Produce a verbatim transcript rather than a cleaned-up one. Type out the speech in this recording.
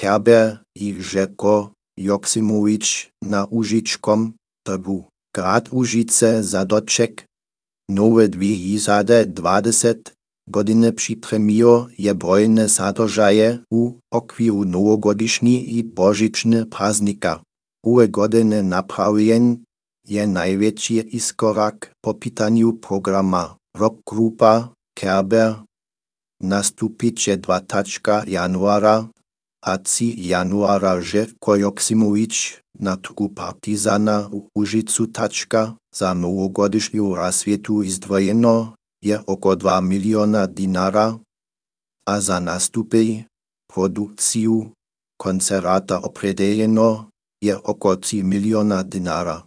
Kerber i Željko Joksimović na Užičkom trgu. Grad Užice za doček nowe dwie tysiące dwudziestej godziny przypremiło je brojne sadržaje u okviru nowogodišnji i božičny praznika. Uwe godziny naprawień je największy iskorak po pitaniu programa. Rockgrupa Kerber nastupiće dwudziestego januara a trzy januara Željko Joksimović na trgu Partizana u Užicu tačka za nowogodišnju rasvjetu izdvojeno je oko dva miliona dinara, a za nastupy, produkciju koncerata opredeljeno je oko tri miliona dinara.